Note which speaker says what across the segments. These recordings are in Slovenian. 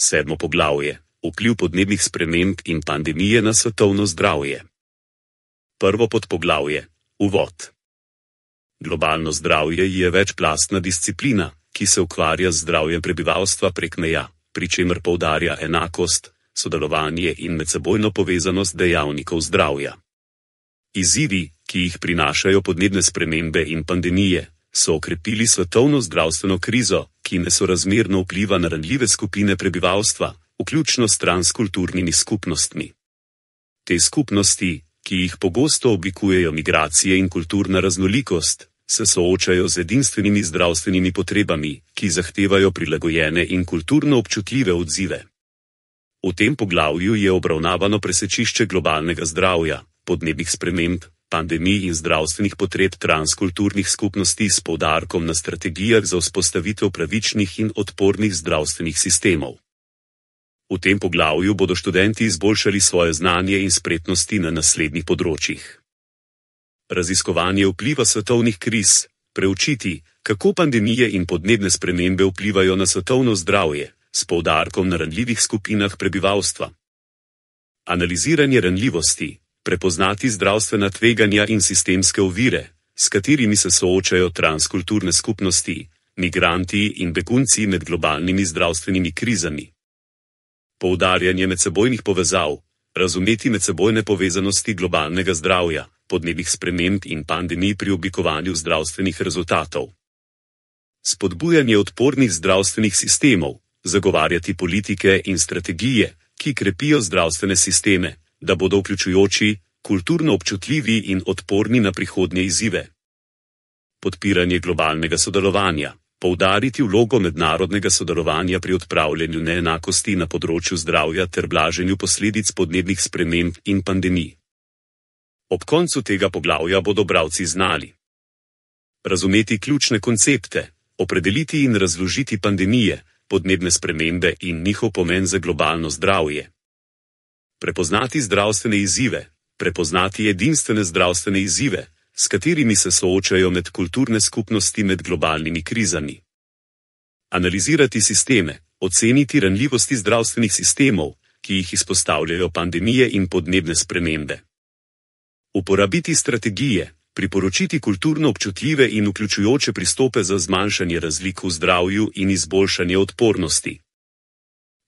Speaker 1: Sedmo poglavje: vpliv podnebnih sprememb in pandemije na svetovno zdravje. Prvo podpoglavje: uvod. Globalno zdravje je večplastna disciplina, ki se ukvarja z zdravjem prebivalstva prek meja, pri čemer poudarja enakost, sodelovanje in medsebojno povezanost dejavnikov zdravja. Izzivi, ki jih prinašajo podnebne spremembe in pandemije, so okrepili svetovno zdravstveno krizo, ki nesorazmerno vpliva na ranljive skupine prebivalstva, vključno s transkulturnimi skupnostmi. Te skupnosti, ki jih pogosto oblikujejo migracije in kulturna raznolikost, se soočajo z edinstvenimi zdravstvenimi potrebami, ki zahtevajo prilagojene in kulturno občutljive odzive. V tem poglavju je obravnavano presečišče globalnega zdravja, podnebnih sprememb, pandemij in zdravstvenih potreb transkulturnih skupnosti s poudarkom na strategijah za vzpostavitev pravičnih in odpornih zdravstvenih sistemov. V tem poglavju bodo študenti izboljšali svoje znanje in spretnosti na naslednjih področjih. Raziskovanje vpliva svetovnih kriz, preučiti, kako pandemije in podnebne spremembe vplivajo na svetovno zdravje, s poudarkom na ranljivih skupinah prebivalstva. Analiziranje ranljivosti, prepoznati zdravstvena tveganja in sistemske ovire, s katerimi se soočajo transkulturne skupnosti, migranti in begunci med globalnimi zdravstvenimi krizami. Poudarjanje medsebojnih povezav, razumeti medsebojne povezanosti globalnega zdravja, podnebnih sprememb in pandemij pri oblikovanju zdravstvenih rezultatov. Spodbujanje odpornih zdravstvenih sistemov, zagovarjati politike in strategije, ki krepijo zdravstvene sisteme, da bodo vključujoči, kulturno občutljivi in odporni na prihodnje izzive. Podpiranje globalnega sodelovanja, poudariti vlogo mednarodnega sodelovanja pri odpravljanju neenakosti na področju zdravja ter blaženju posledic podnebnih sprememb in pandemij. Ob koncu tega poglavja bodo bralci znali razumeti ključne koncepte, opredeliti in razložiti pandemije, podnebne spremembe in njihov pomen za globalno zdravje. Prepoznati zdravstvene izzive, prepoznati edinstvene zdravstvene izzive, s katerimi se soočajo medkulturne skupnosti med globalnimi krizami. Analizirati sisteme, oceniti ranljivosti zdravstvenih sistemov, ki jih izpostavljajo pandemije in podnebne spremembe. Uporabiti strategije, priporočiti kulturno občutljive in vključujoče pristope za zmanjšanje razlik v zdravju in izboljšanje odpornosti.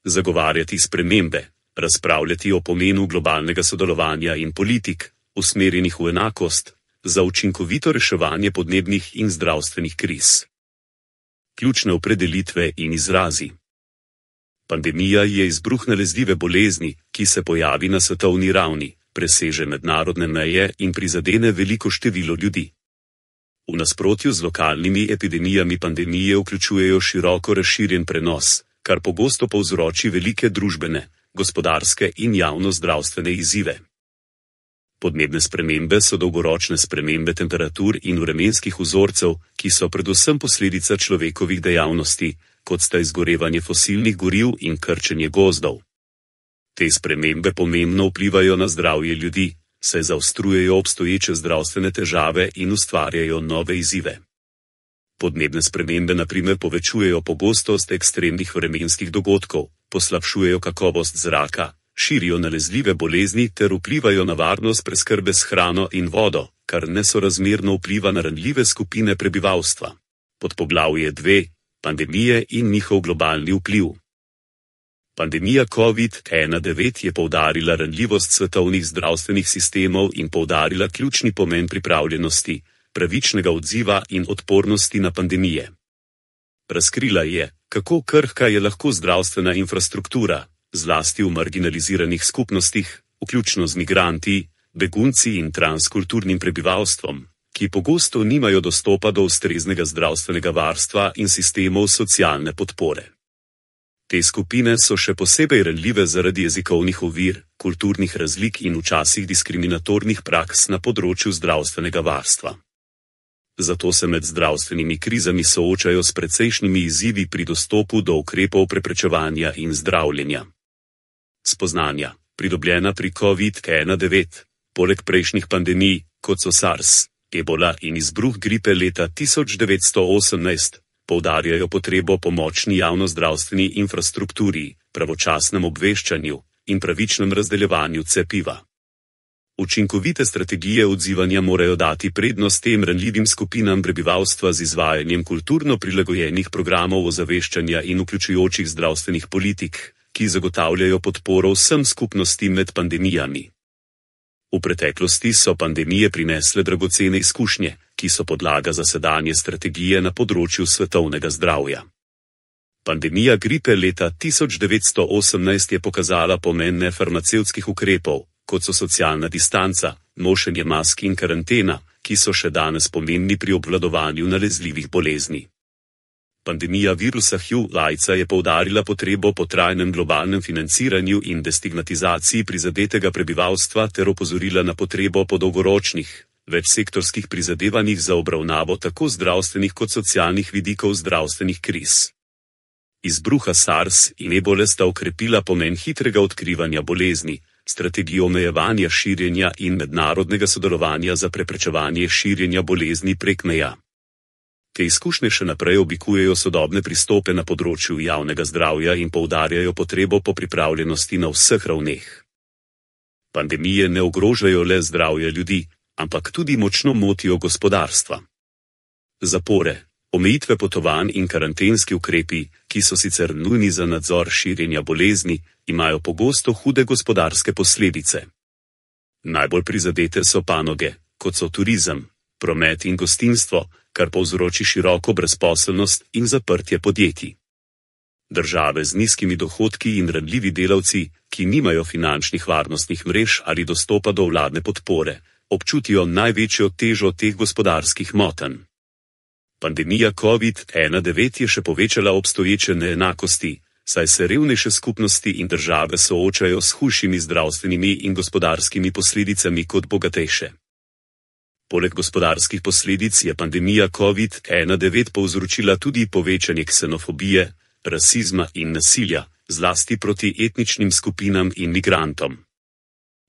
Speaker 1: Zagovarjati spremembe, razpravljati o pomenu globalnega sodelovanja in politik, usmerjenih v enakost, za učinkovito reševanje podnebnih in zdravstvenih kriz. Ključne opredelitve in izrazi. Pandemija je izbruh nalezljive bolezni, ki se pojavi na svetovni ravni, preseže mednarodne meje in prizadene veliko število ljudi. V nasprotju z lokalnimi epidemijami pandemije vključujejo široko razširjen prenos, kar pogosto povzroči velike družbene, gospodarske in javno-zdravstvene izzive. Podnebne spremembe so dolgoročne spremembe temperatur in vremenskih vzorcev, ki so predvsem posledica človekovih dejavnosti, kot sta izgorevanje fosilnih goriv in krčenje gozdov. Te spremembe pomembno vplivajo na zdravje ljudi, saj zaostrujejo obstoječe zdravstvene težave in ustvarjajo nove izzive. Podnebne spremembe na primer povečujejo pogostost ekstremnih vremenskih dogodkov, poslabšujejo kakovost zraka, širijo nalezljive bolezni ter vplivajo na varnost preskrbe s hrano in vodo, kar nesorazmerno vpliva na ranljive skupine prebivalstva. Podpoglavje 2. Pandemije in njihov globalni vpliv. Pandemija COVID-19 je poudarila ranljivost svetovnih zdravstvenih sistemov in poudarila ključni pomen pripravljenosti, pravičnega odziva in odpornosti na pandemije. Razkrila je, kako krhka je lahko zdravstvena infrastruktura, zlasti v marginaliziranih skupnostih, vključno z migranti, begunci in transkulturnim prebivalstvom, ki pogosto nimajo dostopa do ustreznega zdravstvenega varstva in sistemov socialne podpore. Te skupine so še posebej ranljive zaradi jezikovnih ovir, kulturnih razlik in včasih diskriminatornih praks na področju zdravstvenega varstva. Zato se med zdravstvenimi krizami soočajo s precejšnjimi izzivi pri dostopu do ukrepov preprečevanja in zdravljenja. Spoznanja, pridobljena pri COVID-19, poleg prejšnjih pandemij, kot so SARS, Ebola in izbruh gripe leta 1918, poudarjajo potrebo po močni javnozdravstveni infrastrukturi, pravočasnem obveščanju in pravičnem razdeljevanju cepiva. Učinkovite strategije odzivanja morajo dati prednost tem ranljivim skupinam prebivalstva z izvajanjem kulturno prilagojenih programov ozaveščanja in vključujočih zdravstvenih politik, ki zagotavljajo podporo vsem skupnostim med pandemijami. V preteklosti so pandemije prinesle dragocene izkušnje, ki so podlaga za sedanje strategije na področju svetovnega zdravja. Pandemija gripe leta 1918 je pokazala pomen nefarmacevtskih ukrepov, kot so socialna distanca, nošenje mask in karantena, ki so še danes pomembni pri obvladovanju nalezljivih bolezni. Pandemija virusa HIV/AIDS je poudarila potrebo po trajnem globalnem financiranju in destigmatizaciji prizadetega prebivalstva ter opozorila na potrebo po dolgoročnih, večsektorskih prizadevanjih za obravnavo tako zdravstvenih kot socialnih vidikov zdravstvenih kriz. Izbruha SARS in ebole sta okrepila pomen hitrega odkrivanja bolezni, strategijo omejevanja širjenja in mednarodnega sodelovanja za preprečevanje širjenja bolezni prek meja. Te izkušnje še naprej oblikujejo sodobne pristope na področju javnega zdravja in poudarjajo potrebo po pripravljenosti na vseh ravneh. Pandemije ne ogrožajo le zdravja ljudi, ampak tudi močno motijo gospodarstva. Zapore, omejitve potovanj in karantenski ukrepi, ki so sicer nujni za nadzor širjenja bolezni, imajo pogosto hude gospodarske posledice. Najbolj prizadete so panoge, kot so turizem, promet in gostinstvo, kar povzroči široko brezposelnost in zaprtje podjetij. Države z nizkimi dohodki in ranljivi delavci, ki nimajo finančnih varnostnih mrež ali dostopa do vladne podpore, občutijo največjo težo teh gospodarskih motenj. Pandemija COVID-19 je še povečala obstoječe neenakosti, saj se revnejše skupnosti in države soočajo s hujšimi zdravstvenimi in gospodarskimi posledicami kot bogatejše. Poleg gospodarskih posledic je pandemija COVID-19 povzročila tudi povečanje ksenofobije, rasizma in nasilja, zlasti proti etničnim skupinam in migrantom.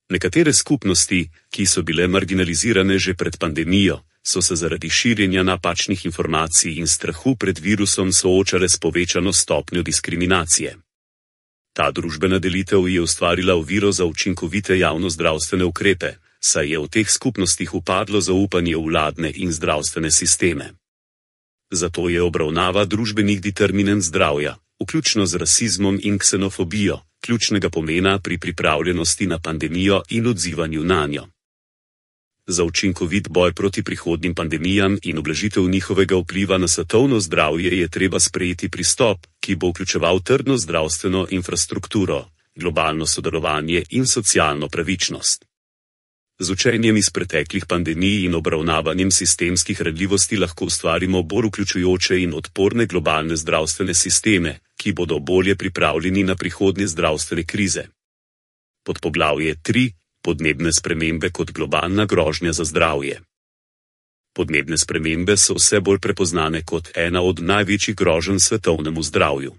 Speaker 1: Nekatere skupnosti, ki so bile marginalizirane že pred pandemijo, so se zaradi širjenja napačnih informacij in strahu pred virusom soočale s povečano stopnjo diskriminacije. Ta družbena delitev je ustvarila oviro za učinkovite javnozdravstvene ukrepe, saj je v teh skupnostih upadlo zaupanje v vladne in zdravstvene sisteme. Zato je obravnava družbenih determinant zdravja, vključno z rasizmom in ksenofobijo, ključnega pomena pri pripravljenosti na pandemijo in odzivanju nanjo. Za učinkovit boj proti prihodnjim pandemijam in ublažitev njihovega vpliva na svetovno zdravje je treba sprejeti pristop, ki bo vključeval trdno zdravstveno infrastrukturo, globalno sodelovanje in socialno pravičnost. Z učenjem iz preteklih pandemij in obravnavanjem sistemskih ranljivosti lahko ustvarimo bolj vključujoče in odporne globalne zdravstvene sisteme, ki bodo bolje pripravljeni na prihodnje zdravstvene krize. Podpoglavje 3. Podnebne spremembe kot globalna grožnja za zdravje. Podnebne spremembe so vse bolj prepoznane kot ena od največjih groženj svetovnemu zdravju.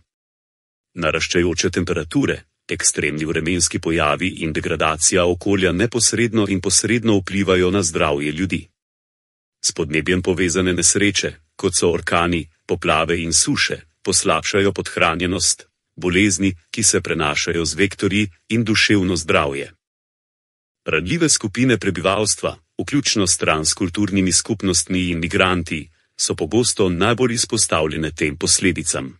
Speaker 1: Naraščajoče temperature, ekstremni vremenski pojavi in degradacija okolja neposredno in posredno vplivajo na zdravje ljudi. S podnebjem povezane nesreče, kot so orkani, poplave in suše, poslabšajo podhranjenost, bolezni, ki se prenašajo z vektorji, in duševno zdravje. Ranljive skupine prebivalstva, vključno s transkulturnimi skupnostmi in migranti, so pogosto najbolj izpostavljene tem posledicam.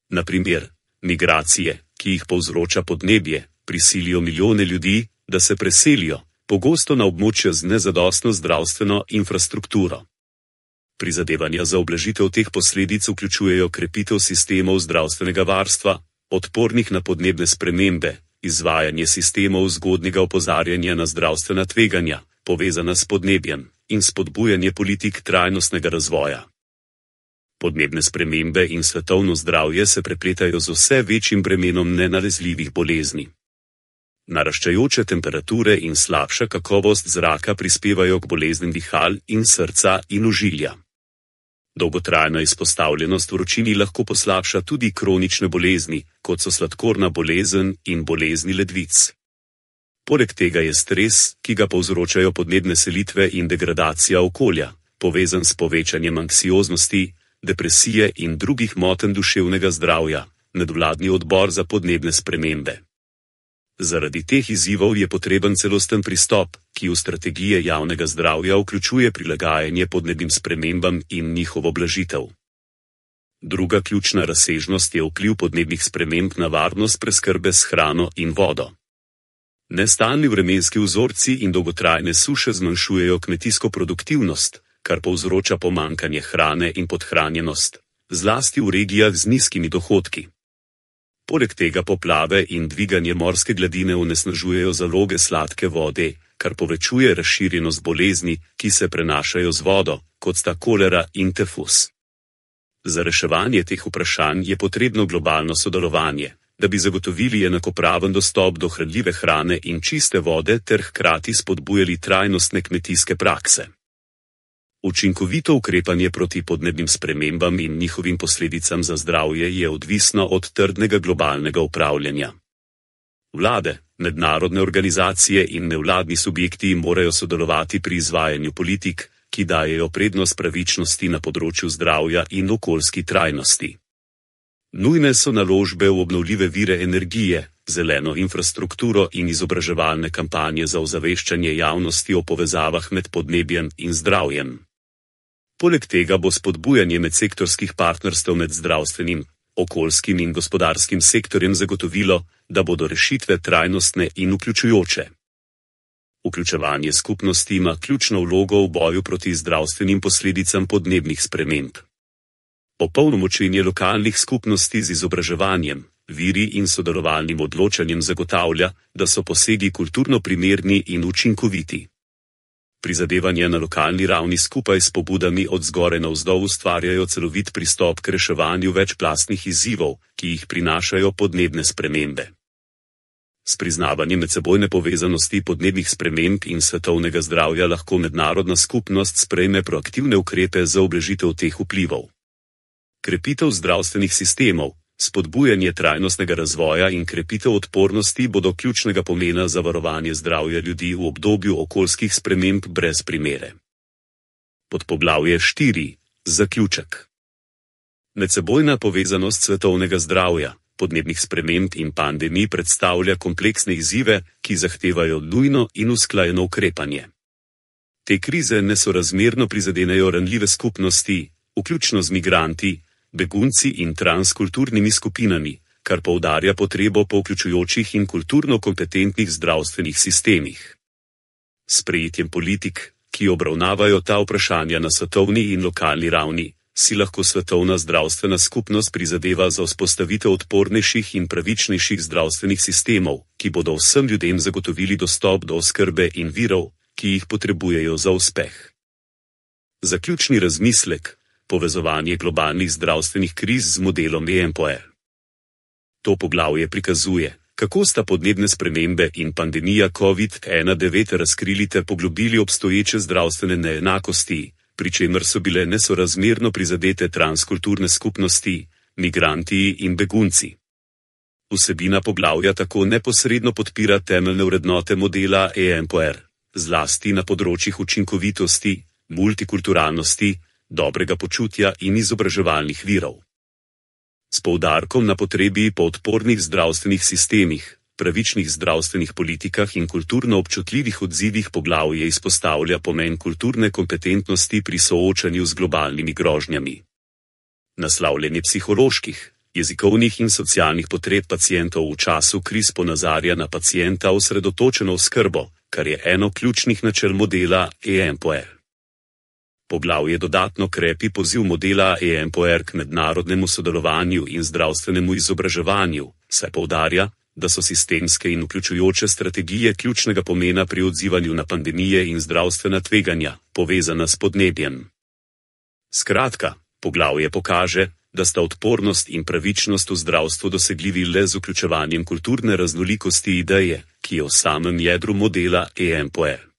Speaker 1: Na primer, migracije, ki jih povzroča podnebje, prisilijo milijone ljudi, da se preselijo, pogosto na območja z nezadostno zdravstveno infrastrukturo. Prizadevanja za ublažitev teh posledic vključujejo krepitev sistemov zdravstvenega varstva, odpornih na podnebne spremembe, izvajanje sistemov zgodnjega opozarjanja na zdravstvena tveganja, povezana s podnebjem, in spodbujanje politik trajnostnega razvoja. Podnebne spremembe in svetovno zdravje se prepletajo z vse večjim bremenom nenalezljivih bolezni. Naraščajoče temperature in slabša kakovost zraka prispevajo k boleznim dihal in srca in ožilja. Dolgotrajna izpostavljenost vročini lahko poslabša tudi kronične bolezni, kot so sladkorna bolezen in bolezni ledvic. Poleg tega je stres, ki ga povzročajo podnebne selitve in degradacija okolja, povezan s povečanjem anksioznosti, depresije in drugih motenj duševnega zdravja, medvladni odbor za podnebne spremembe. Zaradi teh izzivov je potreben celosten pristop, ki v strategije javnega zdravja vključuje prilagajanje podnebnim spremembam in njihovo blažitev. Druga ključna razsežnost je vpliv podnebnih sprememb na varnost preskrbe s hrano in vodo. Nestalni vremenski vzorci in dolgotrajne suše zmanjšujejo kmetijsko produktivnost, kar povzroča pomanjkanje hrane in podhranjenost, zlasti v regijah z nizkimi dohodki. Poleg tega poplave in dviganje morske gladine onesnažujejo zaloge sladke vode, kar povečuje razširjenost bolezni, ki se prenašajo z vodo, kot sta kolera in tifus. Za reševanje teh vprašanj je potrebno globalno sodelovanje, da bi zagotovili enakopraven dostop do hranljive hrane in čiste vode ter hkrati spodbujali trajnostne kmetijske prakse. Učinkovito ukrepanje proti podnebnim spremembam in njihovim posledicam za zdravje je odvisno od trdnega globalnega upravljanja. Vlade, mednarodne organizacije in nevladni subjekti morajo sodelovati pri izvajanju politik, ki dajejo prednost pravičnosti na področju zdravja in okoljski trajnosti. Nujne so naložbe v obnovljive vire energije, zeleno infrastrukturo in izobraževalne kampanje za ozaveščanje javnosti o povezavah med podnebjem in zdravjem. Poleg tega bo spodbujanje medsektorskih partnerstev med zdravstvenim, okoljskim in gospodarskim sektorjem zagotovilo, da bodo rešitve trajnostne in vključujoče. Vključevanje skupnosti ima ključno vlogo v boju proti zdravstvenim posledicam podnebnih sprememb. Opolnomočenje lokalnih skupnosti z izobraževanjem, viri in sodelovalnim odločanjem zagotavlja, da so posegi kulturno primerni in učinkoviti. Prizadevanja na lokalni ravni skupaj s pobudami od zgoraj navzdol ustvarjajo celovit pristop k reševanju večplastnih izzivov, ki jih prinašajo podnebne spremembe. S priznavanjem medsebojne povezanosti podnebnih sprememb in svetovnega zdravja lahko mednarodna skupnost sprejme proaktivne ukrepe za ublažitev teh vplivov. Krepitev zdravstvenih sistemov, spodbujanje trajnostnega razvoja in krepitev odpornosti bodo ključnega pomena za varovanje zdravja ljudi v obdobju okoljskih sprememb brez primere. Podpoglavje 4. Zaključek. Medsebojna povezanost svetovnega zdravja, podnebnih sprememb in pandemij predstavlja kompleksne izzive, ki zahtevajo nujno in usklajeno ukrepanje. Te krize nesorazmerno prizadenejo ranljive skupnosti, vključno z migranti, begunci in transkulturnimi skupinami, kar poudarja potrebo po vključujočih in kulturno kompetentnih zdravstvenih sistemih. S sprejetjem politik, ki obravnavajo ta vprašanja na svetovni in lokalni ravni, si lahko svetovna zdravstvena skupnost prizadeva za vzpostavitev odpornejših in pravičnejših zdravstvenih sistemov, ki bodo vsem ljudem zagotovili dostop do oskrbe in virov, ki jih potrebujejo za uspeh. Zaključni razmislek: povezovanje globalnih zdravstvenih kriz z modelom EMPOE. To poglavje prikazuje, kako sta podnebne spremembe in pandemija COVID-19 razkrili ter poglobili obstoječe zdravstvene neenakosti, pri čemer so bile nesorazmerno prizadete transkulturne skupnosti, migranti in begunci. Vsebina poglavja tako neposredno podpira temeljne vrednote modela EMPOE, zlasti na področjih učinkovitosti, multikulturalnosti, dobrega počutja in izobraževalnih virov. S poudarkom na potrebi po odpornih zdravstvenih sistemih, pravičnih zdravstvenih politikah in kulturno občutljivih odzivih poglavje izpostavlja pomen kulturne kompetentnosti pri soočanju z globalnimi grožnjami. Naslavljanje psiholoških, jezikovnih in socialnih potreb pacientov v času kriz ponazarja na pacienta osredotočeno oskrbo, kar je eno ključnih načel modela EMPOE. Poglavje dodatno krepi poziv modela EMPOE k mednarodnemu sodelovanju in zdravstvenemu izobraževanju, saj poudarja, da so sistemske in vključujoče strategije ključnega pomena pri odzivanju na pandemije in zdravstvena tveganja, povezana s podnebjem. Skratka, poglavje pokaže, da sta odpornost in pravičnost v zdravstvu dosegljivi le z vključevanjem kulturne raznolikosti ideje, ki je v samem jedru modela EMPOE.